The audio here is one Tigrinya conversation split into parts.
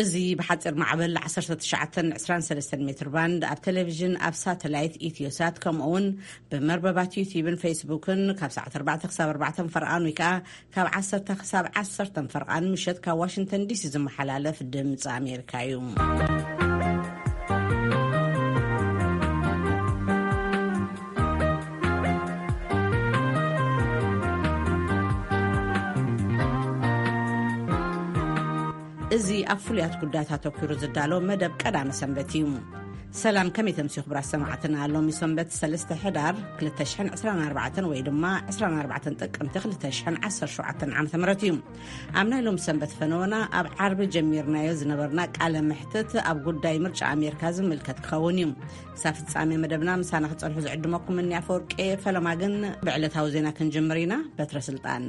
እዚ ብሓፂር ማዕበል ዓሰርተ ትሽዓተ ዕስራን ሰለስተን ሜትር ባንድ፣ ኣብ ቴሌቪዥን፣ ኣብ ሳተላይት ኢትዮሳት፣ ከምኡ እውን ብመርበባት ዩቲዩብን ፌስቡክን ካብ ሰዓት ኣርባዕተ ክሳብ ኣርባዕተ ፈርቓን፣ ወይ ከዓ ካብ ዓሰርተ ክሳብ ዓሰርተ ፈርቓን ምሸት ካብ ዋሽንግተን ዲሲ ዝመሓላለፍ ድምፂ ኣሜሪካ እዩ። እዚ ኣብ ፍሉያት ጉዳያት ኣተኲሩ ዝዳሎ መደብ ቀዳመ ሰንበት እዩ። ሰላም፣ ከመይ ተምስዩ ክቡራት ሰማዕትና? ሎሚ ሰንበት ሰለስተ ሕዳር ክልተ ሽሕን ዕስራን ኣርባዕተን ወይ ድማ ዕስራን ኣርባዕተን ጥቅምቲ ክልተ ሽሕን ዓሰርተ ሸውዓተን ዓመተ ምህረት እዩ። ኣብ ናይ ሎም ሰንበት ፈነወና ኣብ ዓርቢ ጀሚርናዮ ዝነበርና ቃለ መሕትት ኣብ ጉዳይ ምርጫ ኣሜሪካ ዝምልከት ክኸውን እዩ። ክሳብ ፍጻሜ መደብና ምሳና ክጸንሑ ዝዕድመኩም እኒ ኣፈወርቂ ፈለማ። ግን ብዕለታዊ ዜና ክንጅምር ኢና። በትረ ስልጣን።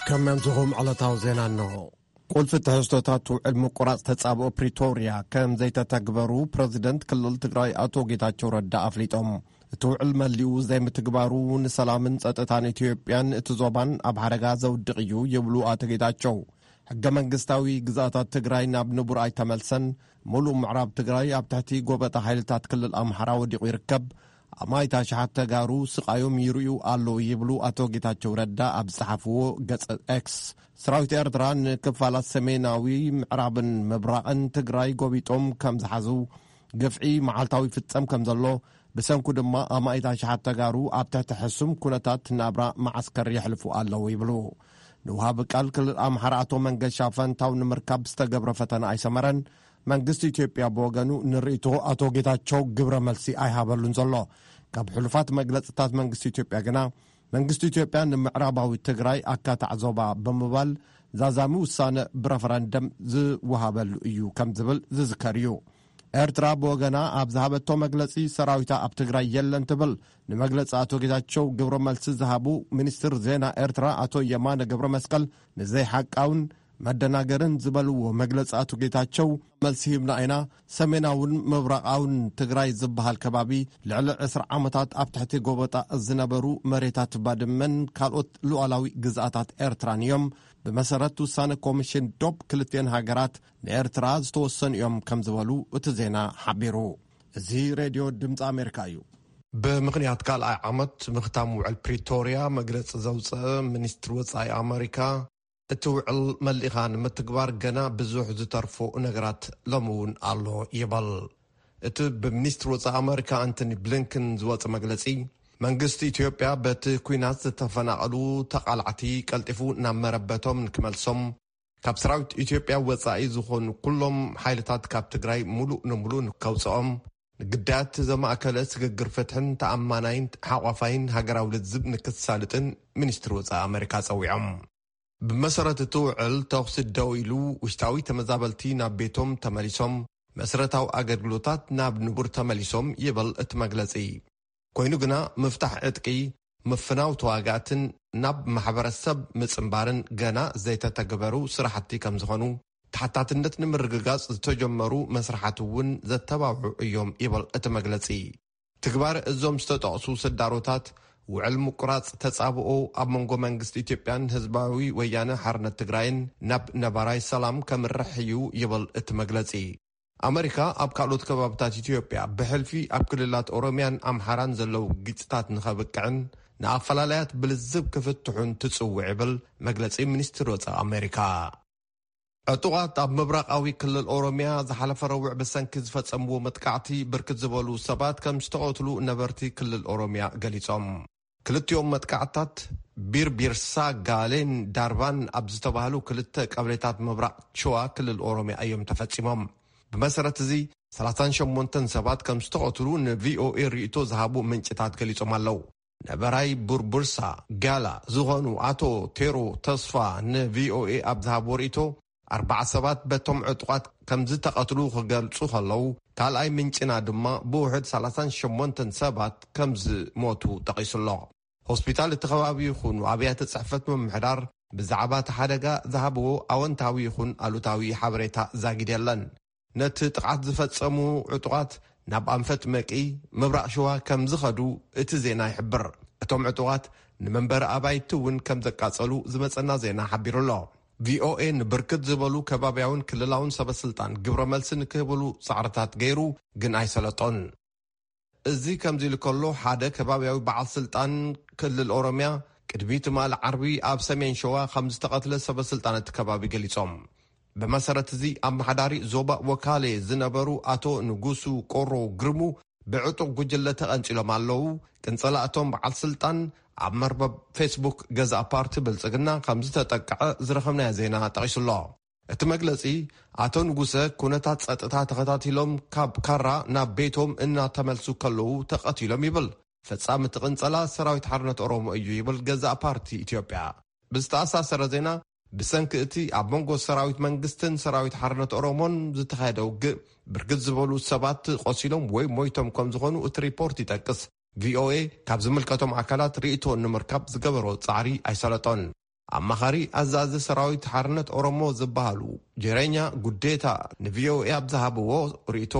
ከመምስኹም ዕለታዊ ዜና እንሆ። ቁልፊ ትሕዝቶታት ውዕል ምቁራጽ ተጻብኦ ፕሪቶርያ ከም ዘይተተግበሩ ፕረዚደንት ክልል ትግራይ ኣቶ ጌታቸው ረዳ ኣፍሊጦም። እቲ ውዕል መሊኡ ዘይምትግባሩ ንሰላምን ጸጥታን ኢትዮጵያን እቲ ዞባን ኣብ ሓደጋ ዘውድቕ እዩ ይብሉ ኣቶ ጌታቸው። ሕገ መንግስታዊ ግዛታት ትግራይ ናብ ንቡር ኣይተመልሰን፣ ሙሉእ ምዕራብ ትግራይ ኣብ ትሕቲ ጎበጣ ሓይልታት ክልል ኣምሓራ ወዲቑ ይርከብ፣ ኣማኢት ኣሽሓት ተጋሩ ስቓዮም ይርእዩ ኣለዉ ይብሉ ኣቶ ጌታቸው ረዳ ኣብ ዝጸሓፍዎ ገጽ ኤክስ። ሰራዊት ኤርትራ ንክፋላት ሰሜናዊ ምዕራብን ምብራቕን ትግራይ ጎቢጦም ከም ዝሓዙ፣ ግፍዒ መዓልታዊ ይፍጸም ከም ዘሎ፣ ብሰንኩ ድማ ኣማኢት ኣሽሓት ተጋሩ ኣብ ትሕቲ ሕሱም ኩነታት ናብራ መዓስከር የሕልፉ ኣለዉ ይብሉ። ንውሃቢ ቃል ክልል ኣምሓራ ኣቶ መንገሻ ፈንታው ንምርካብ ዝተገብረ ፈተና ኣይሰመረን። መንግስቲ ኢትዮጵያ ብወገኑ ንርእይቶ ኣቶ ጌታቸው ግብረ መልሲ ኣይሃበሉን ዘሎ። ካብ ሕሉፋት መግለጽታት መንግስቲ ኢትዮጵያ ግና፣ መንግስቲ ኢትዮጵያ ንምዕራባዊ ትግራይ ኣካታዕ ዞባ ብምባል ዛዛሚ ውሳነ ብረፈረንደም ዝወሃበሉ እዩ ከም ዝብል ዝዝከር እዩ። ኤርትራ ብወገና ኣብ ዝሃበቶ መግለጺ፣ ሰራዊታ ኣብ ትግራይ የለን ትብል። ንመግለጺ ኣቶ ጌታቸው ግብረ መልሲ ዝሃቡ ሚኒስትር ዜና ኤርትራ ኣቶ የማነ ገብረ መስቀል፣ ንዘይሓቃውን መደናገርን ዝበልዎ መግለጺ ኣቶ ጌታቸው፣ መልሲ ሂብና ኢና። ሰሜናውን ምብራቓውን ትግራይ ዝበሃል ከባቢ ልዕሊ ዕስራ ዓመታት ኣብ ትሕቲ ጎበጣ ዝነበሩ መሬታት ባድመን ካልኦት ሉዓላዊ ግዝኣታት ኤርትራን እዮም። ብመሰረት ውሳነ ኮሚሽን ዶብ ክልቲኤን ሃገራት ንኤርትራ ዝተወሰኑ እዮም ከም ዝበሉ እቲ ዜና ሓቢሩ። እዚ ሬድዮ ድምፂ ኣሜሪካ እዩ። ብምኽንያት ካልኣይ ዓመት ምኽታም ውዕል ፕሪቶርያ መግለፂ ዘውፅአ ሚኒስትሪ ወፃኢ ኣሜሪካ፣ እቲ ውዕል መሊእኻ ንምትግባር ገና ብዙሕ ዝተርፎ ነገራት ሎሚ እውን ኣሎ ይበል። እቲ ብሚኒስትሪ ወፃኢ ኣሜሪካ ኣንቶኒ ብሊንከን ዝወፀ መግለፂ፣ መንግስቲ ኢትዮጵያ በቲ ኲናት ዝተፈናቐሉ ተቓላዕቲ ቀልጢፉ ናብ መረበቶም ንክመልሶም፣ ካብ ሰራዊት ኢትዮጵያ ወፃኢ ዝኾኑ ኩሎም ሓይልታት ካብ ትግራይ ሙሉእ ንሙሉእ ንከውፅኦም፣ ንግዳያት ዘማእከለ ስግግር ፍትሕን ተኣማናይን ሓቋፋይን ሃገራዊ ልዝብ ንክሳልጥን ሚኒስትሪ ወፃኢ ኣሜሪካ ፀዊዖም። ብመሰረት እቲ ውዕል፣ ተኹሲ ደው ኢሉ፣ ውሽጣዊ ተመዛበልቲ ናብ ቤቶም ተመሊሶም፣ መሰረታዊ ኣገልግሎታት ናብ ንቡር ተመሊሶም ይብል እቲ መግለጺ። ኮይኑ ግና፣ ምፍታሕ ዕጥቂ፣ ምፍናው ተዋጋእትን ናብ ማሕበረሰብ ምጽንባርን ገና ዘይተተግበሩ ስራሕቲ ከም ዝኾኑ፣ ተሓታትነት ንምርግጋጽ ዝተጀመሩ መስርሓት እውን ዘተባብዑ እዮም ይብል እቲ መግለጺ። ትግባረ እዞም ዝተጠቕሱ ስዳሮታት፣ ውዕል ምቁራጽ ተጻብኦ ኣብ መንጎ መንግስቲ ኢትዮጵያን ህዝባዊ ወያነ ሓርነት ትግራይን ናብ ነባራይ ሰላም ከምርሕ እዩ ይብል እቲ መግለጺ። ኣመሪካ ኣብ ካልኦት ከባብታት ኢትዮጵያ ብሕልፊ ኣብ ክልላት ኦሮሚያን ኣምሓራን ዘለዉ ግጭታት ንኸብቅዕን ንኣፈላላያት ብልዝብ ክፍትሑን ትጽውዕ ይብል መግለጺ ሚኒስትሪ ወጻኢ ኣመሪካ። ዕጡቓት ኣብ ምብራቓዊ ክልል ኦሮሚያ ዝሓለፈ ረቡዕ ብሰንኪ ዝፈጸምዎ መጥቃዕቲ ብርክት ዝበሉ ሰባት ከም ዝተቐትሉ ነበርቲ ክልል ኦሮሚያ ገሊጾም። ክልቲኦም መጥቃዕትታት ቢርቢርሳ ጋሌን ዳርባን ኣብ ዝተባህሉ ክልተ ቀበሌታት ምብራቕ ሸዋ ክልል ኦሮሚያ እዮም ተፈጺሞም። ብመሰረት እዚ፣ ሰላሳን ሸሞንተን ሰባት ከም ዝተቐትሉ ንቪኦኤ ርእይቶ ዝሃቡ ምንጭታት ገሊጾም ኣለዉ። ነበራይ ቡርቡርሳ ጋላ ዝኾኑ ኣቶ ቴሮ ተስፋ ንቪኦኤ ኣብ ዝሃብዎ ርእይቶ፣ ኣርባዓ ሰባት በቶም ዕጡቓት ከም ዝተቐትሉ ክገልጹ ከለዉ፣ ካልኣይ ምንጭና ድማ ብውሕድ ሰላሳን ሸሞንተን ሰባት ከም ዝሞቱ ጠቒሱ ኣሎ። ሆስፒታል እቲ ከባቢ ይኹኑ ኣብያተ ጽሕፈት ምምሕዳር ብዛዕባ እቲ ሓደጋ ዝሃብዎ ኣወንታዊ ይኹን ኣሉታዊ ሓበሬታ ዛጊድ የለን። ነቲ ጥቕዓት ዝፈጸሙ ዕጡቓት ናብ ኣንፈት መቂ፣ ምብራቕ ሸዋ፣ ከም ዝኸዱ እቲ ዜና ይሕብር። እቶም ዕጡቓት ንመንበሪ ኣባይቲ እውን ከም ዘቃጸሉ ዝመጸና ዜና ሓቢሩ ኣሎ። ቪኦኤ ንብርክት ዝበሉ ከባብያውን ክልላውን ሰበስልጣን ግብረ መልሲ ንክህብሉ ጻዕርታት ገይሩ፣ ግን ኣይሰለጦን። እዚ ከምዚ ኢሉ ከሎ፣ ሓደ ከባብያዊ በዓል ስልጣን ክልል ኦሮምያ ቅድሚ ትማሊ ዓርቢ ኣብ ሰሜን ሸዋ ከም ዝተቐትለ ሰበስልጣን እቲ ከባቢ ገሊጾም። ብመሰረት እዚ፣ ኣመሓዳሪ ዞባ ወካሌ ዝነበሩ ኣቶ ንጉሱ ቆሮ ግርሙ ብዕጡቕ ጉጅለ ተቐንጺሎም ኣለዉ። ቅንጸላ እቶም በዓል ስልጣን ኣብ መርበብ ፌስቡክ ገዛእ ፓርቲ ብልጽግና ከም ዝተጠቅዐ ዝረኸብናዮ ዜና ጠቒሱ ኣሎ። እቲ መግለጺ፣ ኣቶ ንጉሰ ኩነታት ጸጥታ ተኸታቲሎም ካብ ካራ ናብ ቤቶም እናተመልሱ ከለዉ ተቐቲሎም ይብል። ፈጻሚ እቲ ቅንጸላ ሰራዊት ሓርነት ኦሮሞ እዩ ይብል ገዛእ ፓርቲ ኢትዮጵያ። ብዝተኣሳሰረ ዜና፣ ብሰንኪ እቲ ኣብ መንጎ ሰራዊት መንግስትን ሰራዊት ሓርነት ኦሮሞን ዝተኻየደ ውግእ፣ ብርግጽ ዝበሉ ሰባት ቆሲሎም ወይ ሞይቶም ከም ዝኾኑ እቲ ሪፖርት ይጠቅስ። ቪኦኤ ካብ ዝምልከቶም ኣካላት ርእይቶ ንምርካብ ዝገበሮ ጻዕሪ ኣይሰለጦን። ኣማኻሪ ኣዛዚ ሰራዊት ሓርነት ኦሮሞ ዝበሃሉ ጀረኛ ጉዴታ ንቪኦኤ ኣብ ዝሃብዎ ርእይቶ፣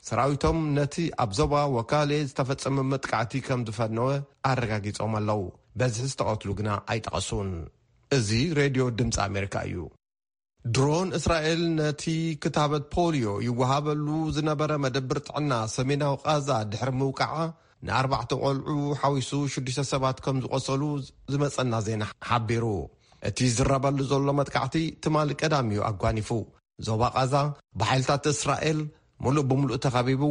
ሰራዊቶም ነቲ ኣብ ዞባ ወካሌ ዝተፈጸመ መጥቃዕቲ ከም ዝፈነወ ኣረጋጊጾም ኣለዉ። በዝሒ ዝተቐትሉ ግና ኣይጠቐሱን። እዚ ሬድዮ ድምፂ ኣሜሪካ እዩ። ድሮን እስራኤል ነቲ ክታበት ፖሊዮ ይወሃበሉ ዝነበረ መደብር ጥዕና ሰሜናዊ ቃዛ ድሕሪ ምውቃዓ፣ ንኣርባዕተ ቆልዑ ሓዊሱ ሽዱሽተ ሰባት ከም ዝቆሰሉ ዝመጸና ዜና ሓቢሩ። እቲ ዝረበሉ ዘሎ መጥቃዕቲ ትማሊ ቀዳም እዩ ኣጓኒፉ። ዞባ ቃዛ ብሓይልታት እስራኤል ምሉእ ብምሉእ ተኸቢቡ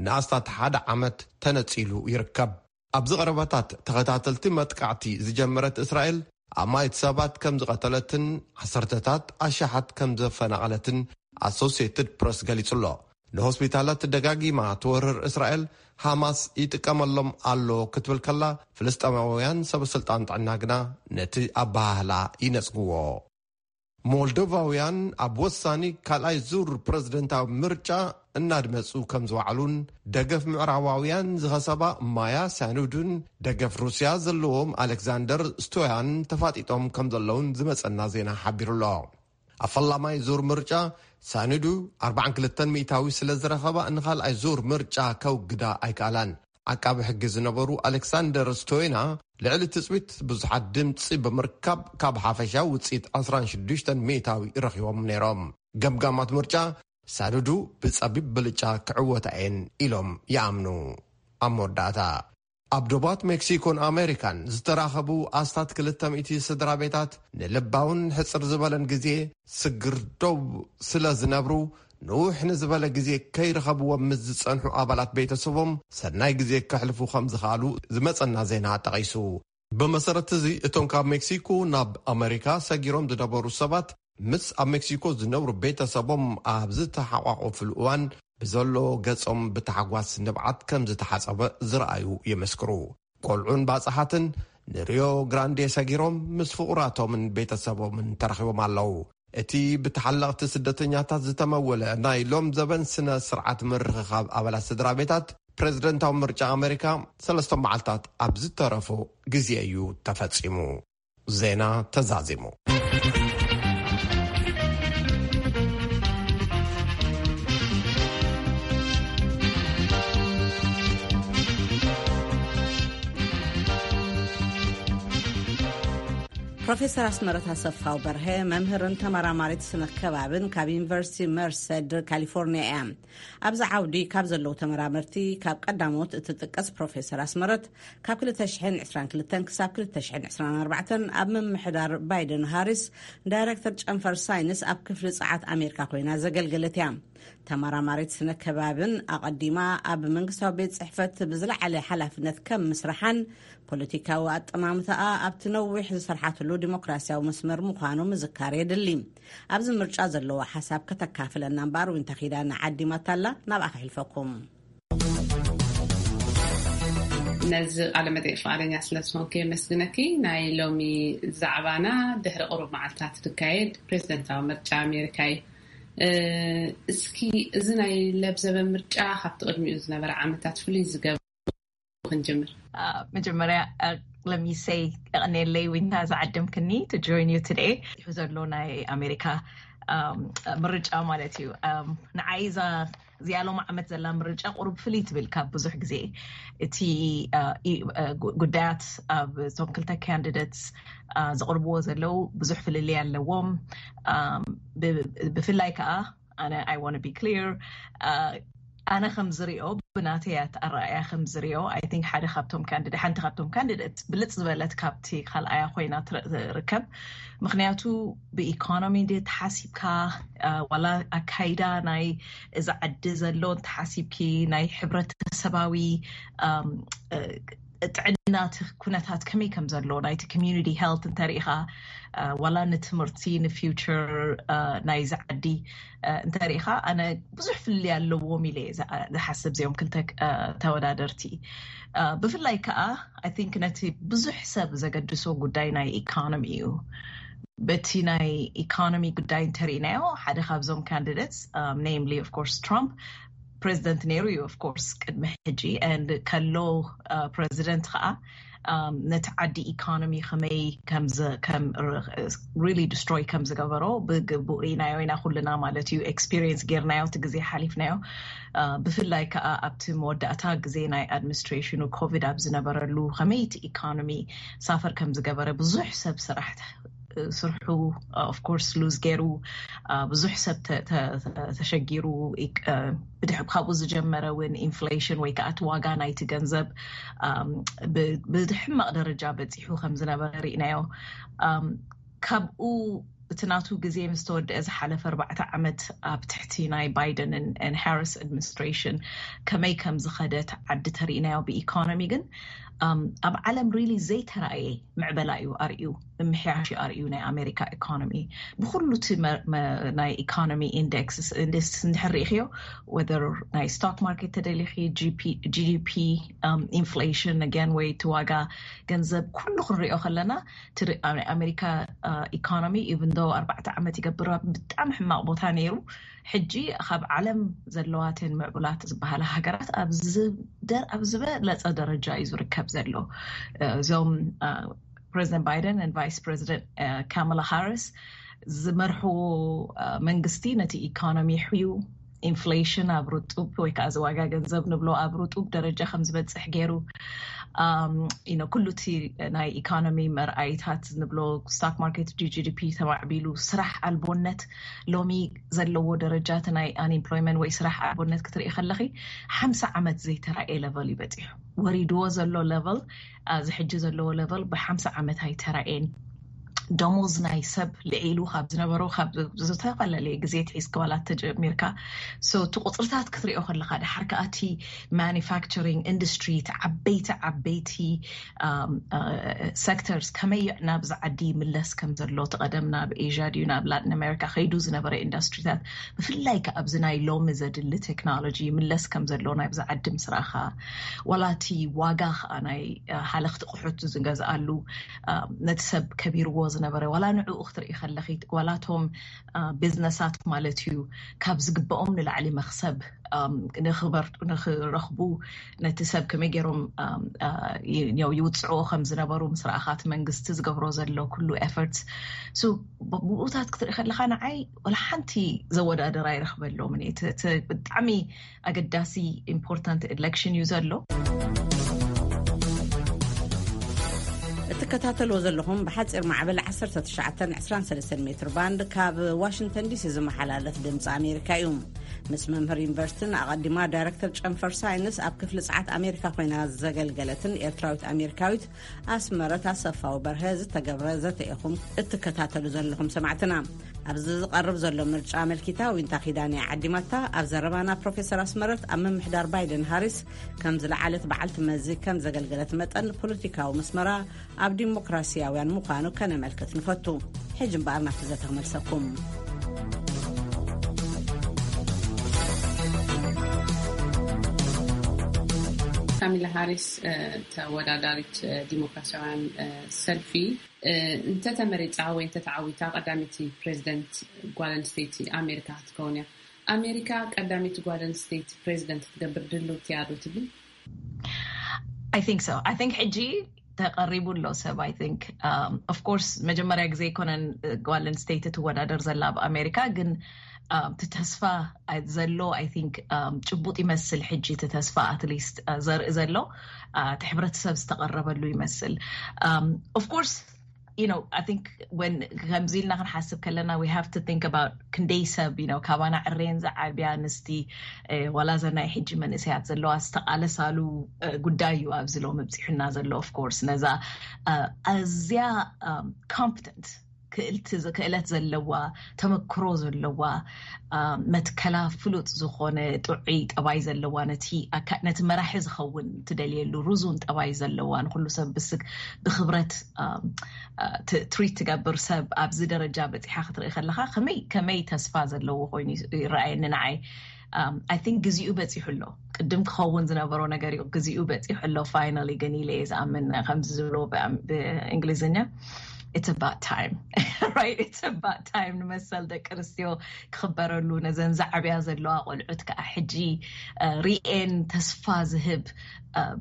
ንኣስታት ሓደ ዓመት ተነጺሉ ይርከብ። ኣብዚ ቀረባታት ተኸታተልቲ መጥቃዕቲ ዝጀመረት እስራኤል ኣማኢት ሰባት ከም ዝቐተለትን ዓሰርተታት ኣሽሓት ከም ዘፈናቐለትን ኣሶሲየትድ ፕረስ ገሊጹ ኣሎ። ንሆስፒታላት ደጋጊማ ትወርር እስራኤል፣ ሃማስ ይጥቀመሎም ኣሎ ክትብል ከላ፣ ፍልስጤማውያን ሰበስልጣን ጥዕና ግና ነቲ ኣበሃህላ ይነጽግዎ። ሞልዶቫውያን ኣብ ወሳኒ ካልኣይ ዙር ፕረዚደንታዊ ምርጫ እናድመጹ ከም ዝወዓሉን፣ ደገፍ ምዕራባውያን ዝኸሰባ ማያ ሳኑዱን ደገፍ ሩስያ ዘለዎም ኣሌክዛንደር ስቶያን ተፋጢጦም ከም ዘለውን ዝመጸና ዜና ሓቢሩ ኣሎ። ኣብ ፈላማይ ዙር ምርጫ ሳኑዱ ኣርባዓን ክልተን ሚእታዊ ስለ ዝረኸባ፣ ንኻልኣይ ዙር ምርጫ ከውግዳ ኣይከኣላን። ዓቃቢ ሕጊ ዝነበሩ ኣሌክሳንደር ስቶይና፣ ልዕሊ ትጽቢት ብዙሓት ድምጺ ብምርካብ፣ ካብ ሓፈሻዊ ውጽኢት ዕስራን ሽዱሽተን ሚእታዊ ረኺቦም ነይሮም። ገምጋማት ምርጫ፣ ሳዱዱ ብጸቢብ ብልጫ ክዕወታ እየን ኢሎም ይኣምኑ። ኣብ መወዳእታ፣ ኣብ ዶባት ሜክሲኮን ኣሜሪካን ዝተራኸቡ ኣስታት ክልተ ሚእቲ ስድራ ቤታት፣ ንልባውን ሕጽር ዝበለን ግዜ ስግር ደው ስለ ዝነብሩ፣ ንውሕ ንዝበለ ግዜ ከይረኸብዎም ምስ ዝጸንሑ ኣባላት ቤተሰቦም፣ ሰናይ ግዜ ከሕልፉ ከም ዝኸኣሉ ዝመጸና ዜና ጠቒሱ። ብመሰረት እዚ፣ እቶም ካብ ሜክሲኮ ናብ ኣሜሪካ ሰጊሮም ዝነበሩ ሰባት፣ ምስ ኣብ ሜክሲኮ ዝነብሩ ቤተሰቦም ኣብ ዝተሓቋቆፍሉ እዋን፣ ብዘሎ ገጾም ብታሕጓስ ንብዓት ከም ዝተሓጸበ ዝረኣዩ ይምስክሩ። ቆልዑን ባጽሓትን ንሪዮ ግራንዴ ሰጊሮም ምስ ፍቑራቶምን ቤተሰቦምን ተረኺቦም ኣለዉ። እቲ ብተሓለቕቲ ስደተኛታት ዝተመወለ ናይ ሎም ዘበን ስነ ስርዓት ምርኽኻብ ኣባላት ስድራ ቤታት፣ ፕረዚደንታዊ ምርጫ ኣሜሪካ ሰለስተ መዓልታት ኣብ ዝተረፎ ግዜ እዩ ተፈጺሙ። ዜና ተዛዚሙ። ፕሮፌሰር ኣስመረት ኣሰፋው በርሀ፣ መምህርን ተመራማሪት ስነ ከባብን ካብ ዩኒቨርሲቲ መርሰድ ካሊፎርኒያ እያ። ኣብዚ ዓውዲ ካብ ዘለዉ ተመራመርቲ ካብ ቀዳሞት እትጥቀስ ፕሮፌሰር ኣስመረት፣ ካብ ክልተ ሽሕን ዕስራን ክልተን ክሳብ ክልተ ሽሕን ዕስራን ኣርባዕተን ኣብ ምምሕዳር ባይደን ሃሪስ ዳይረክተር ጨንፈር ሳይንስ ኣብ ክፍሊ ጸዓት ኣሜሪካ ኮይና ዘገልገለት እያ። ተመራማሪት ስነ ከባብን ኣቐዲማ ኣብ መንግስታዊ ቤት ጽሕፈት ብዝለዓለ ሓላፍነት ከም ምስራሓን፣ ፖለቲካዊ ኣጠማምታኣ ኣብቲ ነዊሕ ዝሰርሓትሉ ዲሞክራሲያዊ መስመር ምዃኑ ምዝካር የድሊ። ኣብዚ ምርጫ ዘለዎ ሓሳብ ከተካፍለና እምበኣር፣ ዊንታ ኪዳነ ዓዲማታላ፣ ናብኣ ከሕልፈኩም። ነዚ ቃለ መጠይቅ ፍቓደኛ ስለ ዝኾንኪ የመስግነኪ። ናይ ሎሚ ዛዕባና ድሕሪ ቁሩብ መዓልታት ዝካየድ ፕሬዚደንታዊ ምርጫ ኣሜሪካ እዩ። እ፣ እስኪ እዚ ናይ ለብዘበ ምርጫ ካብቲ ቅድሚኡ ዝነበረ ዓመታት ፍሉይ ዝገብሮ ክንጅምር። መጀመርያ let me say፣ የቐንየለይ ዊንታ ዝዓደምክኒ to join you today። ይሁ ዘሎ ናይ ኣሜሪካ ምርጫ ማለት እዩ። ንዓይ እዛ እዚኣ ሎም ዓመት ዘላ ምርጫ ቁሩብ ፍልይ ትብል ካብ ብዙሕ ግዜ። እቲ ጉዳያት ኣብ እቶም ክልተ ካንዲደትስ ዘቕርብዎ ዘለዉ ብዙሕ ፍልልይ ኣለዎም። ብፍላይ ከዓ ኣነ I want to be clear, ኣነ ከም ዝሪኦ፣ ብናተይ ኣረኣእያ ከም ዝሪኦ፣ I think ሓደ ካብቶም ካንዲደ ሓንቲ ካብቶም ካንዲደት ብልፅ ዝበለት ካብቲ ካልኣያ ኮይና ትርከብ። ምክንያቱ ብኢኮኖሚ ድ ተሓሲብካ ዋላ ኣካይዳ ናይ እዚ ዓዲ ዘሎ እንተሓሲብኪ፣ ናይ ሕብረተሰባዊ ጥዕና እቲ ኩነታት ከመይ ከም ዘሎ፣ ናይቲ community health እንተሪኢኻ፣ ዋላ ንትምህርቲ ንፊውቸር ናይዚ ዓዲ እንተሪኢኻ፣ ኣነ ብዙሕ ፍልልይ ኣለዎም ኢለ ዝሓስብ እዚኦም ክልተ ተወዳደርቲ። ብፍላይ ከዓ I think ነቲ ብዙሕ ሰብ ዘገድሶ ጉዳይ ናይ ኢኮኖሚ እዩ። በቲ ናይ ኢኮኖሚ ጉዳይ እንተሪኢናዮ፣ ሓደ ካብዞም ካንዲደትስ፣ namely of course ትራምፕ፣ ፕሬዚደንት ነይሩ እዩ of course ቅድሚ ሕጂ፣ and ከሎ ፕሬዚደንት ከዓ ነቲ ዓዲ ኢኮኖሚ ከመይ ከም really destroy ከም ዝገበሮ ብግቡእ ርኢናዮ ኢና ኩልና ማለት እዩ። ኤክስፒሪየንስ ጌርናዮ፣ እቲ ግዜ ሓሊፍናዮ። ብፍላይ ከዓ ኣብቲ መወዳእታ ግዜ ናይ ኣድሚኒስትሬሽኑ ኮቪድ ኣብ ዝነበረሉ ከመይ እቲ ኢኮኖሚ ሳፈር ከም ዝገበረ፣ ብዙሕ ሰብ ስራሕ ስርሑ of course ሉዝ ገይሩ፣ ብዙሕ ሰብ ተሸጊሩ፣ ብድሕ ካብኡ ዝጀመረ እውን ኢንፍሌሽን ወይ ከዓ እቲ ዋጋ ናይቲ ገንዘብ ብሕማቕ ደረጃ በፂሑ ከም ዝነበረ ርኢናዮ። ካብኡ እቲ ናቱ ግዜ ምስ ተወደአ ዝሓለፈ ኣርባዕተ ዓመት ኣብ ትሕቲ ናይ ባይደን ሃሪስ ኣድሚኒስትሬሽን ከመይ ከም ዝኸደት ዓዲ ተርኢናዮ ብኢኮኖሚ። ግን ኣብ ዓለም ሪሊ ዘይተራእየ ምዕበላ እዩ ኣርእዩ፣ ምምሕያሽ እዩ ኣርእዩ ናይ ኣሜሪካ ኢኮኖሚ። ብኩሉ እቲ ናይ ኢኮኖሚ ኢንደክስ እንድሕር ርኢኽዮ፣ ወደር ናይ ስቶክ ማርኬት ተደሊኺ፣ ጂ ዲ ፒ፣ ኢንፍሌሽን ኣገን ወይ እቲ ዋጋ ገንዘብ ኩሉ ክንሪኦ ከለና፣ ናይ ኣሜሪካ ኢኮኖሚ ኢቭን ዶ ኣርባዕተ ዓመት ይገብር ብጣዕሚ ሕማቕ ቦታ ነይሩ፣ ሕጂ ካብ ዓለም ዘለዋተን ምዕቡላት ዝበሃላ ሃገራት ኣብ ዝበለፀ ደረጃ እዩ ዝርከብ ዘሎ። እዞም ፕሬዚደንት ባይደን ን ቫይስ ፕሬዚደንት ካማላ ሃሪስ ዝመርሕዎ መንግስቲ ነቲ ኢኮኖሚ ሕዩ፣ ኢንፍሌሽን ኣብ ርጡብ ወይ ከዓ እዚ ዋጋ ገንዘብ ንብሎ ኣብ ርጡብ ደረጃ ከም ዝበፅሕ ገይሩ፣ ኩሉ እቲ ናይ ኢኮኖሚ መርኣይታት ንብሎ፣ ስቶክ ማርኬት፣ ጂ ዲ ፒ ተማዕቢሉ፣ ስራሕ ኣልቦነት ሎሚ ዘለዎ ደረጃ እቲ ናይ ኣንኤምፕሎይመንት ወይ ስራሕ ኣልቦነት ክትርኢ ከለኺ ሓምሳ ዓመት ዘይተራእየ ለቨል እዩ በፂሑ። ወሪድዎ ዘሎ ለቨል፣ እዚ ሕጂ ዘለዎ ለቨል ብሓምሳ ዓመት ኣይተራእየን። ደሞዝ ናይ ሰብ ልዒሉ ካብ ዝነበሮ ካብ ዝተፈላለየ ግዜ ትሒዝካ ዋላ ተጀሚርካ። So እቲ ቁፅርታት ክትሪኦ ከለካ፣ ድሓር ከዓ እቲ ማኒፋክቸሪንግ ኢንዱስትሪ፣ እቲ ዓበይቲ ዓበይቲ ሴክተርስ ከመይ ናብዚ ዓዲ ይምለስ ከም ዘሎ፣ እቲ ቀደም ናብ ኤዥያ ድዩ ናብ ላቲን ኣሜሪካ ከይዱ ዝነበረ ኢንዱስትሪታት፣ ብፍላይ ከዓ ኣብዚ ናይ ሎሚ ዘድሊ ቴክኖሎጂ ይምለስ ከም ዘሎ ናብዚ ዓዲ ምስ ረኣኻ፣ ዋላ እቲ ዋጋ ከዓ ናይ ሃለኽቲ ቁሑት ዝገዝኣሉ ነቲ ሰብ ከቢርዎ ዝነበረ፣ ዋላ ንዕኡ ክትርኢ ከለኺ፣ ዋላ እቶም ቢዝነሳት ማለት እዩ ካብ ዝግብኦም ንላዕሊ መኽሰብ ንክበርጡ ንክረኽቡ፣ ነቲ ሰብ ከመይ ገይሮም ይውፅዕዎ ከም ዝነበሩ ምስ ረኣኻ፣ እቲ መንግስቲ ዝገብሮ ዘሎ ኩሉ ኤፈርትስ፣ ብኡታት ክትርኢ ከለካ፣ ንዓይ ወላ ሓንቲ ዘወዳደር ኣይረኽበሎምን። ብጣዕሚ ኣገዳሲ ኢምፖርታንት ኤሌክሽን እዩ ዘሎ። እትከታተልዎ ዘለኹም ብሓፂር ማዕበል ዓሰርተ ትሽዓተ ዕስራን ሰለስተን ሜትር ባንድ ካብ ዋሽንግተን ዲሲ ዝመሓላለፍ ድምፂ ኣሜሪካ እዩ። ምስ መምህር ዩኒቨርሲቲን ኣቐዲማ ዳይሬክተር ጨንፈር ሳይንስ ኣብ ክፍሊ ፀዓት ኣሜሪካ ኮይና ዘገልገለትን ኤርትራዊት ኣሜሪካዊት ኣስመረት ኣሰፋዊ በርሀ ዝተገብረ ዘተ ኢኹም እትከታተሉ ዘለኹም ሰማዕትና። ኣብዚ ዝቐርብ ዘሎ ምርጫ ኣመልኪታ ዊንታ ኪዳነ ዓዲማታ ኣብ ዘረባና፣ ፕሮፌሰር ኣስመረት ኣብ ምምሕዳር ባይደን ሃሪስ ከም ዝለዓለት በዓልቲ መዚ ከም ዘገልገለት መጠን፣ ፖለቲካዊ መስመራ ኣብ ዲሞክራሲያውያን ምዃኑ ከነመልክት ንፈቱ። ሕጂ እምበኣር ናብቲ ዘተ ክመልሰኩም። ካሚላ ሃሪስ ተወዳዳሪት ዲሞክራሲያውያን ሰልፊ እንተተመሪፃ ወይ እንተተዓዊታ ቀዳመይቲ ፕሬዚደንት ጓል ኣንስተይቲ ኣሜሪካ ክትከውን እያ። ኣሜሪካ ቀዳመይቲ ጓል ኣንስተይቲ ፕሬዚደንት ክትገብር ድልውቲ እያ ዶ ትብሊ? I think so. I think ሕጂ ተቐሪቡ ኣሎ ሰብ። I think of course መጀመርያ ግዜ ኣይኮነን ጓል ኣንስተይቲ ትወዳደር ዘላ ኣብ ኣሜሪካ፣ ግን እቲ ተስፋ ዘሎ I think ጭቡጥ ይመስል። ሕጂ እቲ ተስፋ at least ዘርኢ ዘሎ እቲ ሕብረተሰብ ዝተቐረበሉ ይመስል። Of course you know I think when ከምዚ ኢልና ክንሓስብ ከለና we have to think about ክንደይ ሰብ you know ካባና ዕሬን ዝዓብያ ኣንስቲ ዋላ ዘናይ ሕጂ መንእሰያት ዘለዋ ዝተቓለሳሉ ጉዳይ እዩ ኣብዚ ሎም ኣብፂሑና ዘሎ። Of course ነዛ ኣዝያ competent ክእለት ዘለዋ ተመክሮ ዘለዋ መትከላ ፍሉጥ ዝኾነ ጥዑይ ጠባይ ዘለዋ ነቲ መራሒ ዝኸውን ትደልየሉ ርዙን ጠባይ ዘለዋ ንኩሉ ሰብ ብስግ ብክብረት ትሪት ትገብር ሰብ ኣብዚ ደረጃ በፂሓ ክትርኢ ከለካ ከመይ ከመይ ተስፋ ዘለዎ ኮይኑ ይረኣየኒ ንዓይ። I think ግዜኡ በፂሑ ኣሎ። ቅድም ክኸውን ዝነበሮ ነገር እዩ። ግዜኡ በፂሑ ኣሎ finally ግን ኢለ እየ ዝኣምን ከምዚ ዝብሎ ብእንግሊዝኛ it's about time right? It's about time ንመሰል ደቂ ኣንስትዮ ክኽበረሉ፣ ነዘን ዛዕብያ ዘለዋ ቆልዑት ከዓ ሕጂ ሪኤን ተስፋ ዝህብ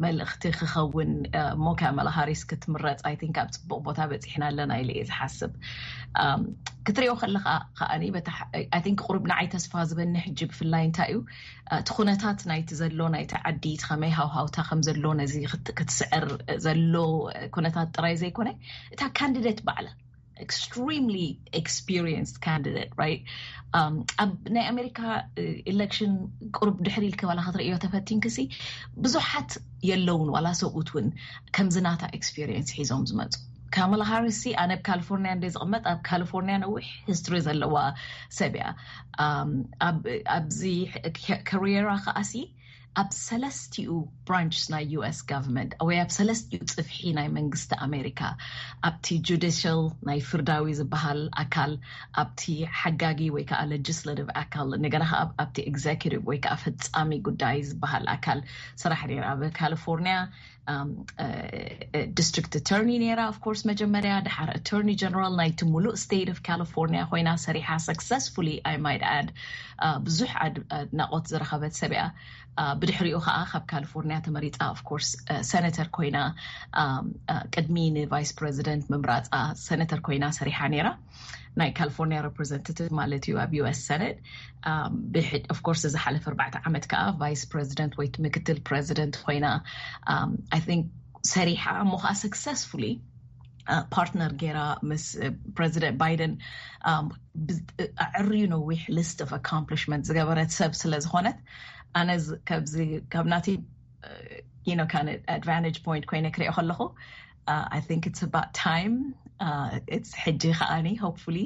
መልእኽቲ ክኸውን እሞ ካማላ ሃሪስ ክትምረፅ I think ኣብ ፅቡቅ ቦታ በፂሕና ኣለና ኢለ እየ ዝሓስብ። ክትሪኦ ከለካ ከዓኒ I think ቁሩብ ንዓይ ተስፋ ዝበኒ ሕጂ ብፍላይ እንታይ እዩ እቲ ኩነታት ናይቲ ዘሎ ናይቲ ዓዲ እቲ ከመይ ሃውሃውታ ከም ዘሎ ነዚ ክትስዕር ዘሎ ኩነታት ጥራይ ዘይኮነ እታ ካንዲደት ባዕላ extremely experienced candidate right? ኣብ ናይ ኣሜሪካ election ቁሩብ ድሕሪ ኢልክ ባላ ክትርእዮ ተፈቲንክሲ ብዙሓት የለውን ዋላ ሰብኡት እውን ከምዚ ናታ experience ሒዞም ዝመፁ። ካማላ ሃሪስ ኣነ ኣብ ካሊፎርኒያ እንደ ዝቕመጥ ኣብ ካሊፎርኒያ ነዊሕ history ዘለዋ ሰብ እያ። ኣብዚ career ኣ ከዓሲ ኣብ ሰለስቲኡ branch ናይ US government ወይ ኣብ ሰለስቲኡ ፅፍሒ ናይ መንግስቲ ኣሜሪካ ኣብቲ judicial ናይ ፍርዳዊ ዝበሃል ኣካል ኣብቲ ሓጋጊ ወይ ከዓ legislative ኣካል እንደገና ከዓ ኣብቲ executive ወይ ከዓ ፈፃሚ ጉዳይ ዝበሃል ኣካል ስራሕ ነይራ ኣብ ካሊፎርኒያ district attorney ነይራ። Of course መጀመርያ ድሓር attorney general ናይቲ ሙሉእ state of California ኮይና ሰሪሓ successfully I might add ብዙሕ ኣድናቆት ዝረኸበት ሰብ እያ። ብድሕሪኡ ከዓ ካብ ካሊፎርኒያ ተመሪፃ of course senator ኮይና ቅድሚ ን vice president ምምራፃ senator ኮይና ሰሪሓ ነይራ። ናይ ካሊፎርኒያ representative ማለት እዩ ኣብ US Senate። Of course እዚ ሓለፈ ኣርባዕተ ዓመት ከዓ vice president ወይ ምክትል president ኮይና I think ሰሪሓ እሞ ከዓ successfully partner ገይራ ምስ president Biden ኣዕርዩ ነዊሕ list of accomplishment ዝገበረት ሰብ ስለ ዝኾነት ኣነ ካብዚ ካብ ናቲ you know kind of advantage point ኮይነ ክሪኦ ከለኹ I think it's about time. It's ሕጂ ከዓኒ hopefully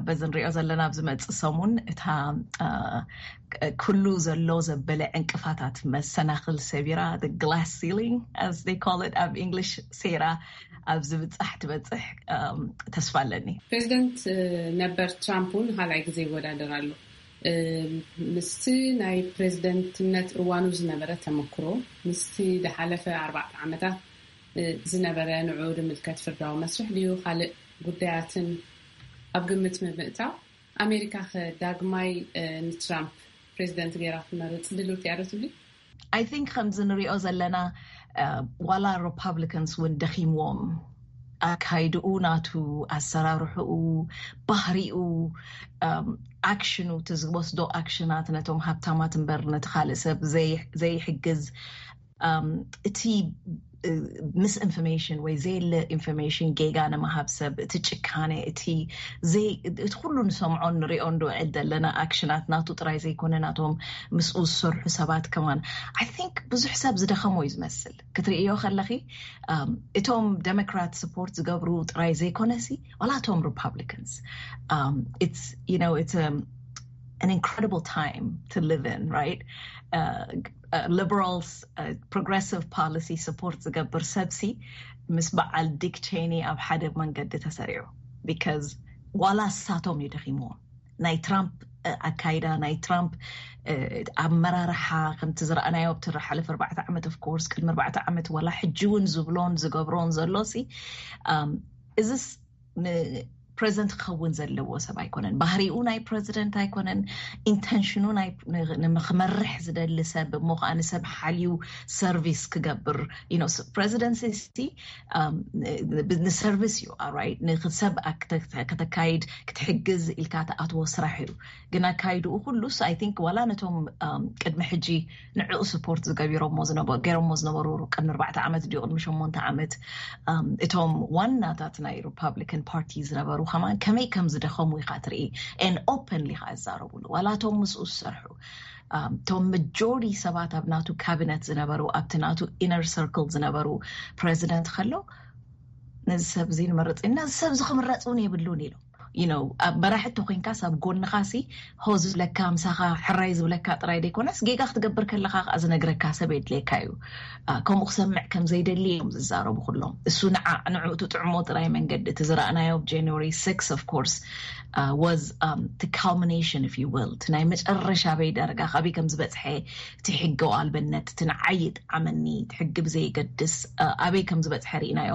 በዚ ንሪኦ ዘለና ኣብ ዝመፅእ ሰሙን እታ ኩሉ ዘሎ ዘበለ ዕንቅፋታት መሰናክል ሰቢራ glass ceiling as they call it ኣብ English ሰይራ ኣብ ዝብፃሕ ትበፅሕ ተስፋ ኣለኒ። ፕሬዚደንት ነበር ትራምፕ እውን ካልኣይ ግዜ ይወዳደር ኣሎ። ምስቲ ናይ ፕሬዚደንትነት እዋኑ ዝነበረ ተመክሮ ምስቲ ዝሓለፈ ኣርባዕተ ዓመታት ዝነበረ ንዑ ዝምልከት ፍርዳዊ መስርሕ ድዩ ካልእ ጉዳያትን ኣብ ግምት ብምእታው ኣሜሪካ ከ ዳግማይ ንትራምፕ ፕሬዚደንት ገይራ ክትመርፅ ድልውቲ እያ ዶ ትብሊ? I think ከምዚ ንሪኦ ዘለና ዋላ Republicans እውን ደኺምዎም ኣካይድኡ ናቱ ኣሰራርሕኡ ባህሪኡ ኣክሽኑ እቲ ዝወስዶ ኣክሽናት ነቶም ሃብታማት እምበር ነቲ ካልእ ሰብ ዘይሕግዝ እቲ misinformation ወይ ዘየለ information ጌጋ ንምሃብ ሰብ እቲ ጭካነ እቲ እቲ ኩሉ ንሰምዖን ንሪኦን ንውዕል ዘለና ኣክሽናት ናቱ ጥራይ ዘይኮነ ናቶም ምስኡ ዝሰርሑ ሰባት ከማን I think ብዙሕ ሰብ ዝደኸሞ እዩ ዝመስል ክትርእዮ ከለኺ እቶም Democrat support ዝገብሩ ጥራይ ዘይኮነሲ ዋላ እቶም Republicans it's you know it's an incredible time to live in, right? Liberals progressive policy support ዝገብር ሰብሲ ምስ በዓል Dick Cheney ኣብ ሓደ መንገዲ ተሰሪዑ because ዋላ እሳቶም እዩ ደኺምዎም ናይ ትራምፕ ኣካይዳ ናይ ትራምፕ ኣመራርሓ ከምቲ ዝረኣናዮ ኣብቲ ዝሓለፈ ኣርባዕተ ዓመት of course ቅድሚ ኣርባዕተ ዓመት ዋላ ሕጂ እውን ዝብሎን ዝገብሮን ዘሎ ሲ እዚስ ፕሬዚደንት ክኸውን ዘለዎ ሰብ ኣይኮነን። ባህሪኡ ናይ ፕሬዚደንት ኣይኮነን። ኢንተንሽኑ ናይ ንክመርሕ ዝደሊ ሰብ እሞ ከዓ ንሰብ ሓልዩ ሰርቪስ ክገብር ፕሬዚደንት ንሰርቪስ እዩ። ንሰብ ከተካይድ ክትሕግዝ ኢልካ ተኣትዎ ስራሕ እዩ። ግን ኣካይድኡ ኩሉስ ኣይ ቲንክ ዋላ ነቶም ቅድሚ ሕጂ ንዕኡ ስፖርት ዝገቢሮሞ ገይሮሞ ዝነበሩ ቅድሚ ኣርባዕተ ዓመት ድዩ ቅድሚ ሸሞንተ ዓመት እቶም ዋናታት ናይ ሪፓብሊካን ፓርቲ ዝነበሩ ከማን ከመይ ከም ዝደኸሙ ኢኻ ትርኢ። ን ኦፐንሊ ኢኻ ዝዛረቡሉ ዋላ እቶም ምስኡ ዝሰርሑ እቶም መጆሪቲ ሰባት ኣብ ናቱ ካቢነት ዝነበሩ ኣብቲ ናቱ ኢነር ሰርክል ዝነበሩ ፕሬዚደንት ከሎ ነዚ ሰብ እዚ ንመርፅ ኢና ነዚ ሰብ እዚ ክምረፅ እውን የብሉን ኢሎም። ኣብ መራሒ እተኮይንካስ ኣብ ጎንኻሲ ሆ ዝብለካ ምሳኻ ሕራይ ዝብለካ ጥራይ ዘይኮነስ ጌጋ ክትገብር ከለካ ከዓ ዝነግረካ ሰብ የድልየካ እዩ። ከምኡ ክሰምዕ ከም ዘይደሊ እዮም ዝዛረቡ ኩሎም። እሱ ንዓ ንዕኡ ትጥዕሞ ጥራይ መንገዲ እቲ ዝረኣናዮ ኣብ ጃንዋሪ ሲክስ of course was the culmination if you will እቲ ናይ መጨረሻ በይ ደረጋ ካበይ ከም ዝበፅሐ እቲ ሕጊ ኣልበነት እቲ ንዓይ ይጥዓመኒ እቲ ሕጊ ብዘይገድስ ኣበይ ከም ዝበፅሐ ርኢናዮ።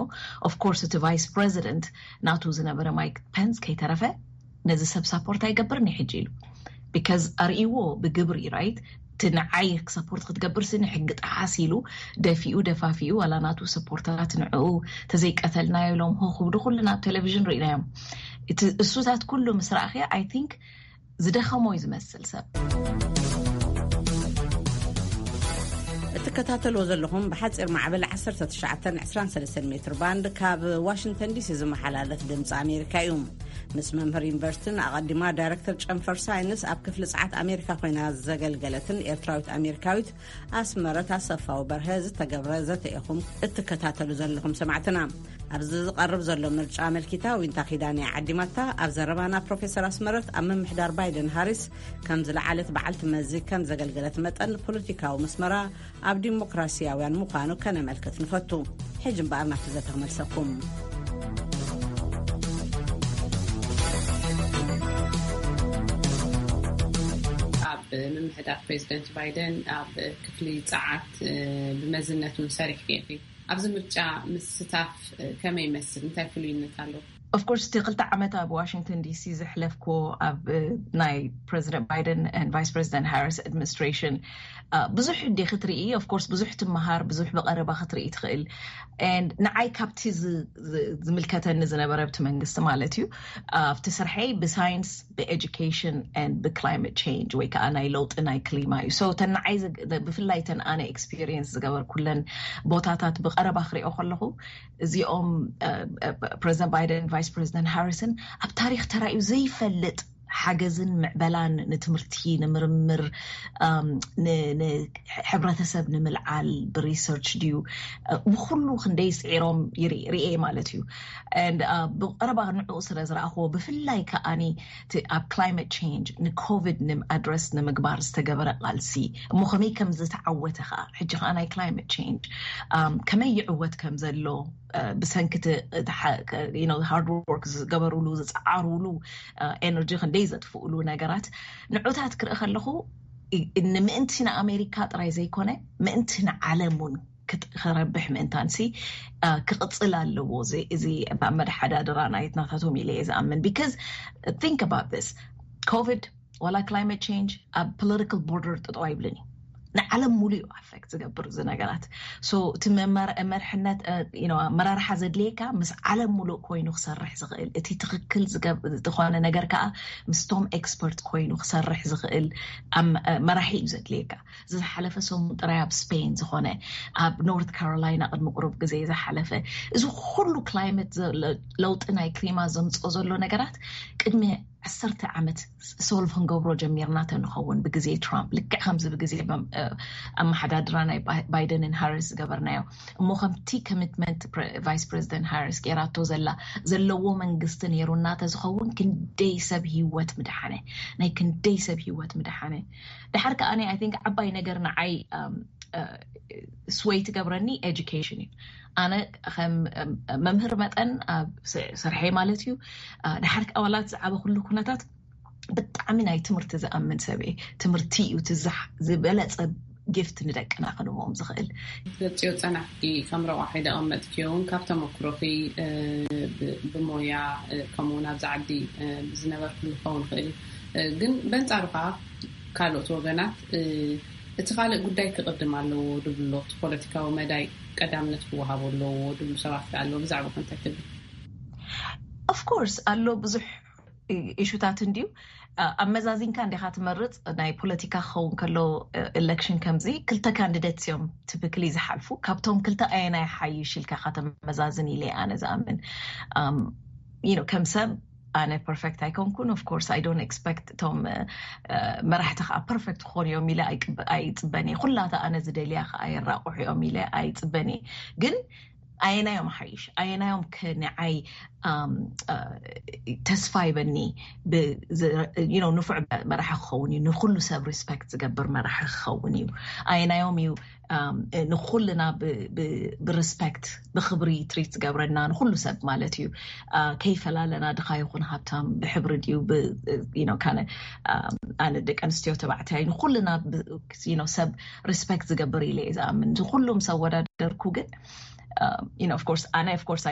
Of course እቲ ቫይስ ፕሬዚደንት ናቱ ዝነበረ ማይክ ፐንስ ከይተረፈ ነዚ ሰብ ሳፖርት ኣይገብርን ሕጂ ኢሉ because ኣርእይዎ ብግብሪ right እቲ ንዓይ ሰፖርት ክትገብር ሲ ንሕጊ ጠሓስ ኢሉ ደፊኡ ደፋፊኡ ዋላ ናቱ ሰፖርተራት ንዕኡ ተዘይቀተልናዮ ኢሎም ሆ ክብሉ ኩልና ኣብ ቴሌቪዥን ርኢናዮም። እቲ እሱታት ኩሉ ምስ ረኣኽያ ኣይ ቲንክ ዝደኸሞ እዩ ዝመስል ሰብ። እትከታተልዎ ዘለኹም ብሓፂር ማዕበል ዓሰርተ ትሽዓተ ዕስራን ሰለስተን ሜትር ባንድ ካብ ዋሽንግተን ዲሲ ዝመሓላለፍ ድምፂ ኣሜሪካ እዩ። ምስ መምህር ዩኒቨርሲቲን ኣቐዲማ ዳይረክተር ጨንፈር ሳይንስ ኣብ ክፍሊ ፀዓት ኣሜሪካ ኮይና ዘገልገለትን ኤርትራዊት ኣሜሪካዊት ኣስመረት ኣሰፋው በርሀ ዝተገብረ ዘተ ኢኹም እትከታተሉ ዘለኹም ሰማዕትና። ኣብዚ ዝቐርብ ዘሎ ምርጫ ኣመልኪታ ዊንታ ኪዳነ ዓዲማታ ኣብ ዘረባና ፕሮፌሰር ኣስመረት ኣብ ምምሕዳር ባይደን ሃሪስ ከም ዝለዓለት በዓልቲ መዚ ከም ዘገልገለት መጠን ፖለቲካዊ መስመራ ኣብ ዲሞክራሲያውያን ምዃኑ ከነመልክት ንፈቱ። ሕጂ እምበኣር ናብቲ ዘተ ክመልሰኩም። ኣብ ምምሕዳር ፕሬዚደንት ባይደን ኣብ ክፍሊ ፀዓት ብመዝነት እውን ሰሪሕኪ ኢኺ። ኣብዚ ምርጫ ምስታፍ ከመይ ይመስል? እንታይ ፍሉይነት ኣለዎ? Of course እቲ ክልተ ዓመት ኣብ ዋሽንግተን ዲሲ ዘሕለፍክዎ ኣብ ናይ ፕሬዚደንት ባይደን ን ቫይስ ፕሬዚደንት ሃሪስ ኣድሚኒስትሬሽን ብዙሕ እንዲ ክትርኢ of course ብዙሕ ትመሃር ብዙሕ ብቐረባ ክትርኢ ትኽእል። ንዓይ ካብቲ ዝምልከተኒ ዝነበረ ኣብቲ መንግስቲ ማለት እዩ ኣብቲ ስርሐይ ብሳይንስ ብኤዱኬሽን ን ብክላይመት ቸንጅ ወይ ከዓ ናይ ለውጢ ናይ ክሊማ እዩ። So ተን ንዓይ ብፍላይ ተን ኣነ ኤክስፒሪየንስ ዝገበርኩለን ቦታታት ብቐረባ ክሪኦ ከለኹ እዚኦም ፕሬዚደንት ባይደን ቫይስ ፕሬዚደንት ሃሪስን ኣብ ታሪክ ተራእዩ ዘይፈልጥ ሓገዝን ምዕበላን ንትምህርቲ ንምርምር ንሕብረተሰብ ንምልዓል ብሪሰርች ድዩ ብኩሉ ክንደይ ስዒሮም ርኤ ማለት እዩ። ብቀረባ ንዕኡ ስለ ዝረኣኽዎ ብፍላይ ከዓኒ ኣብ ክላይመት ቸንጅ ንኮቪድ ኣድረስ ንምግባር ዝተገበረ ቃልሲ እሞ ከመይ ከም ዝተዓወተ ከዓ ሕጂ ከዓ ናይ ክላይመት ቸንጅ ከመይ ይዕወት ከም ዘሎ ብሰንኪ ሃርድ ወርክ ዝገበሩሉ ዝፀዓሩሉ ኤነርጂ ክንደይ ዘጥፍኡሉ ነገራት ንዑታት ክርኢ ከለኹ ንምእንቲ ንኣሜሪካ ጥራይ ዘይኮነ ምእንቲ ንዓለም እውን ክረብሕ ምእንታንሲ ክቕፅል ኣለዎ። እዚ ኣመደሓዳድራ ናይትናታቶም ኢለ እየ ዝኣምን። Because think about this ኮቪድ ዋላ ክላይመት ቸንጅ ኣብ ፖለቲካል ቦርደር ጠጠው ኣይብልን እዩ። ንዓለም ሙሉ እዩ ኣፌክት ዝገብር እዚ ነገራት። So እቲ መርሕነት ኣመራርሓ ዘድልየካ ምስ ዓለም ሙሉእ ኮይኑ ክሰርሕ ዝኽእል እቲ ትኽክል ዝኾነ ነገር ከዓ ምስቶም ኤክስፐርት ኮይኑ ክሰርሕ ዝኽእል መራሒ እዩ ዘድልየካ። ዝሓለፈ ሰሙን ጥራይ ኣብ ስፔን ዝኾነ ኣብ ኖርት ካሮላይና ቅድሚ ቁሩብ ግዜ ዝሓለፈ እዚ ኩሉ ክላይመት ለውጢ ናይ ክሊማ ዘምፅኦ ዘሎ ነገራት ቅድሚ ዓሰርተ ዓመት ሶልቭ ክንገብሮ ጀሚርና ተንኸውን ብግዜ ትራምፕ ልክዕ ከምዚ ብግዜ ኣመሓዳድራ ናይ ባይደንን ሃሪስ ዝገበርናዮ እሞ ከምቲ ኮሚትመንት ቫይስ ፕሬዚደንት ሃሪስ ገይራቶ ዘላ ዘለዎ መንግስቲ ነይሩና ተዝኸውን ክንደይ ሰብ ህይወት ምድሓነ ናይ ክንደይ ሰብ ህይወት ምድሓነ። ድሓር ከዓ ኣይ ቲንክ ዓባይ ነገር ንዓይ ስወይ ትገብረኒ ኤጁኬሽን እዩ። ኣነ ከም መምህር መጠን ኣብ ስርሐይ ማለት እዩ ድሓር ኣባላት ዝዓበ ኩሉ ኩነታት ብጣዕሚ ናይ ትምህርቲ ዝኣምን ሰብ እየ። ትምህርቲ እዩ ዝበለፀ ጊፍት ንደቅና ክንቦም ዝኽእል። ገፂኦ ጸናሕቲ ከም ረቋሒ ደቐመጥኪዮ እውን ካብ ተመክሮኺ ብሞያ ከምኡውን ኣብዚ ዓዲ ዝነበርኩሉ ክኸውን ይኽእል እዩ። ግን በንጻሩ ከዓ ካልኦት ወገናት እቲ ካልእ ጉዳይ ክቕድም ኣለዎ ድብሎ፣ ፖለቲካዊ መዳይ ቀዳምነት ክወሃቦ ኣለዎ ድብሉ ሰባት ኣለዎ። ብዛዕባ እንታይ ትብል? ኦፍኮርስ ኣሎ ብዙሕ ኢሹታት እንድዩ። ኣመዛዚንካ እንዲኻ ትመርፅ። ናይ ፖለቲካ ክኸውን ከሎ ኤሌክሽን ከምዚ ክልተ ካንዲደት እዮም ቲፒክሊ ዝሓልፉ። ካብቶም ክልተ ኣየናይ ሓይሽ ኢልካ ከተመዛዝን ኢለ ኣነ ዝኣምን። ከም ሰብ ኣነ ፐርፌክት ኣይኮንኩን። ኦፍኮርስ ኣይ ዶንት ኤክስፐክት እቶም መራሕቲ ከዓ ፐርፌክት ክኾኑ እዮም ኢለ ኣይፅበን እየ። ኩላታ ኣነ ዝደልያ ከዓ የራቑሑ እዮም ኢለ ኣይፅበን እየ። ግን ኣየናዮም ሓይሽ ኣየናዮም ከንዓይ ተስፋ ይበኒ። ንፉዕ መራሒ ክኸውን እዩ። ንኩሉ ሰብ ሪስፐክት ዝገብር መራሒ ክኸውን እዩ። ኣየናዮም እዩ ንኩልና ብሪስፐክት ብክብሪ ትሪት ዝገብረና ንኩሉ ሰብ ማለት እዩ። ከይፈላለና ድኻ ይኹን ሃብታም ብሕብሪ ድዩ ካነ ኣነ ደቂ ኣንስትዮ ተባዕታይ ንኩልና ሰብ ሪስፐክት ዝገብር ኢለ እየ ዝኣምን። ንኩሉም ሰብ ወዳደርኩ ግን ኦፍኮርስ ኣነ ኦፍኮርስ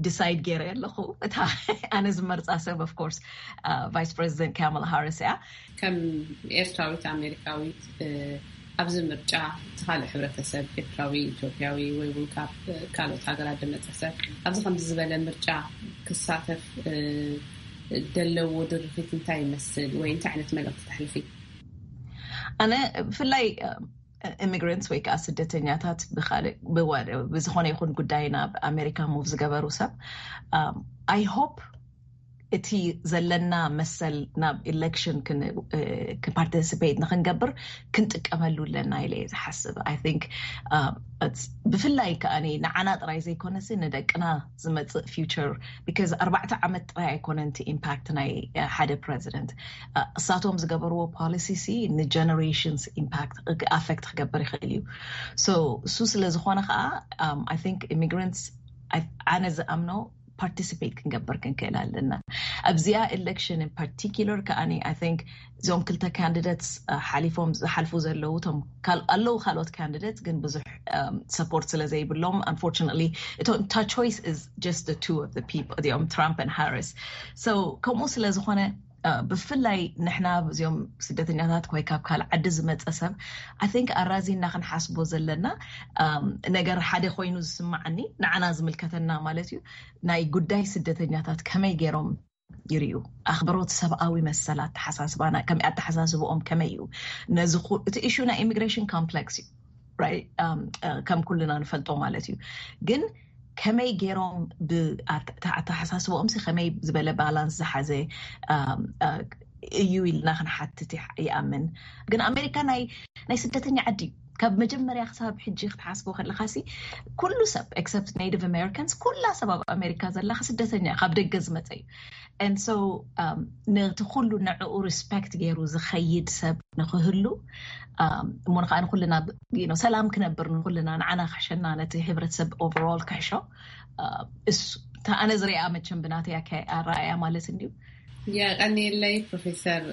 ዲሳይድ ገይረ ኣለኹ። እታ ኣነ ዝመርፃ ሰብ ኦፍኮርስ ቫይስ ፕሬዚደንት ካማላ ሃሪስ እያ። ከም ኤርትራዊት ኣሜሪካዊት ኣብዚ ምርጫ እቲ ካልእ ሕብረተሰብ ኤርትራዊ ኢትዮጵያዊ ወይ እውን ካብ ካልኦት ሃገራት ዝመፀ ሰብ ኣብዚ ከምዚ ዝበለ ምርጫ ክሳተፍ ደለዎ ድርኺት እንታይ ይመስል ወይ እንታይ ዓይነት መልእኽቲ ተሕልፊ? ኣነ ብፍላይ ኢሚግራንትስ ወይ ከዓ ስደተኛታት ብዝኾነ ይኹን ጉዳይ ናብ ኣሜሪካ ሙቭ ዝገበሩ ሰብ ኣይ ሆፕ እቲ ዘለና መሰል ናብ ኢሌክሽን ክፓርቲስፔት ንክንገብር ክንጥቀመሉ ኣለና ኢለ ዝሓስብ። ብፍላይ ከዓ ንዓና ጥራይ ዘይኮነሲ ንደቅና ዝመፅእ ፊውቸር because ኣርባዕተ ዓመት ጥራይ ኣይኮነን እቲ ኢምፓክት ናይ ሓደ ፕረዚደንት። እሳቶም ዝገበርዎ ፖሊሲ ንጀነሬሽንስ ኢምፓክት ኣፌክት ክገብር ይኽእል እዩ። እሱ ስለዝኾነ ከዓ ኢሚግራንትስ ኣነ ዝኣምኖ ፓርቲስፔት ክንገብር ክንክእል ኣለና ኣብዚኣ ኤሌክሽን ን ፓርቲኩለር ከኣ። እዞም ክልተ ካንዲደትስ ሓሊፎም ዝሓልፉ ዘለዉ ቶም ኣለዉ ካልኦት ካንዲደትስ ግን ብዙሕ ሰፖርት ስለ ዘይብሎም ኣንፎርችነትሊ እታ ቾይስ is just the two of the people እዚኦም ትራምፕ ን ሃሪስ። ከምኡ ስለ ዝኾነ ብፍላይ ንሕና እዚኦም ስደተኛታት ወይ ካብ ካልእ ዓዲ ዝመፀ ሰብ ኣይ ቲንክ ኣራዚና ክንሓስቦ ዘለና ነገር ሓደ ኮይኑ ዝስማዓኒ ንዓና ዝምልከተና ማለት እዩ። ናይ ጉዳይ ስደተኛታት ከመይ ገይሮም ይርዩ ኣኽብሮት ሰብኣዊ መሰል ኣተሓሳስባና ከመይ ኣተሓሳስብኦም ከመይ እዩ ነዚ እቲ ኢሹ ናይ ኢሚግሬሽን ኮምፕሌክስ እዩ። ከም ኩልና ንፈልጦ ማለት እዩ። ግን ከመይ ገይሮም ኣተሓሳስብኦም ከመይ ዝበለ ባላንስ ዝሓዘ እዩ ኢልና ክንሓትት ይኣምን። ግን ኣሜሪካ ናይ ስደተኛ ዓዲ እዩ። ካብ መጀመርያ ክሳብ ሕጂ ክትሓስቦ ከለካ ኩሉ ሰብ ኤክሰፕት ኔቲቭ ኣሜሪካንስ ኩላ ሰብ ኣብ ኣሜሪካ ዘላ ስደተኛ ካብ ደገ ዝመፀ እዩ። And so ነቲ ኩሉ ንዕኡ ሪስፐክት ገይሩ ዝኸይድ ሰብ ንክህሉ እሞ ንከዓ ንኩልና ሰላም ክነብር ንኩልና ንዓና ክሕሸና ነቲ ሕብረተሰብ ኦቨርኦል ክሕሾ እሱ ኣነ ዝሪኣ መቸም ብናተይ ኣረኣእያ ማለት እንድዩ። የቐንየለይ ፕሮፌሰር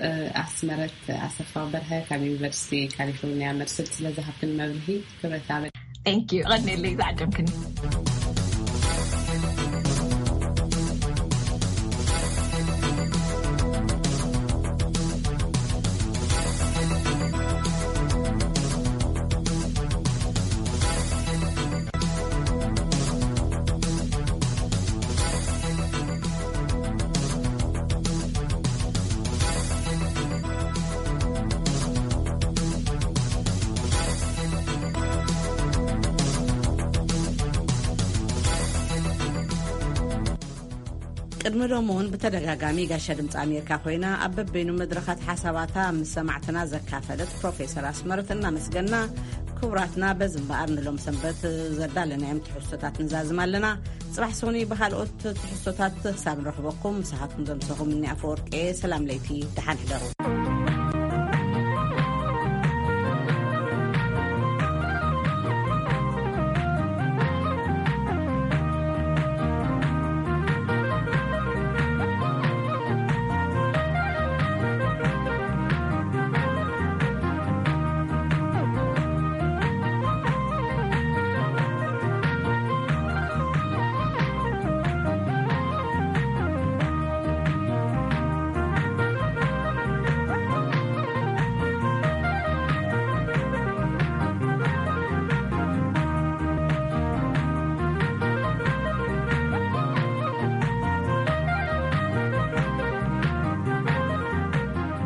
ኣስመረት ኣሰፋ በርሀ ካብ ዩኒቨርሲቲ ካሊፎርኒያ መርስድ ስለዝሃብክኒ መብርሂ ክብረት ኣበ Thank you። ቀንየለይ ዝዓደምክኒ። ቅድሚ ሎሚ እውን ብተደጋጋሚ ጋሻ ድምፂ ኣሜሪካ ኮይና ኣብ በበይኑ መድረኻት ሓሳባታ ምስ ሰማዕትና ዘካፈለት ፕሮፌሰር ኣስመረት እናመስገና፣ ክቡራትና በዚ እምበኣር ንሎም ሰንበት ዘዳለናዮም ትሕዝቶታት ንዛዝም ኣለና። ፅባሕ ሶኒ ብካልኦት ትሕዝቶታት ክሳብ ንረኽበኩም ምሳኻትኩም ዘምሰኹም እኒ ኣፈወርቄ ሰላም ለይቲ ደሓን ሕደሩ።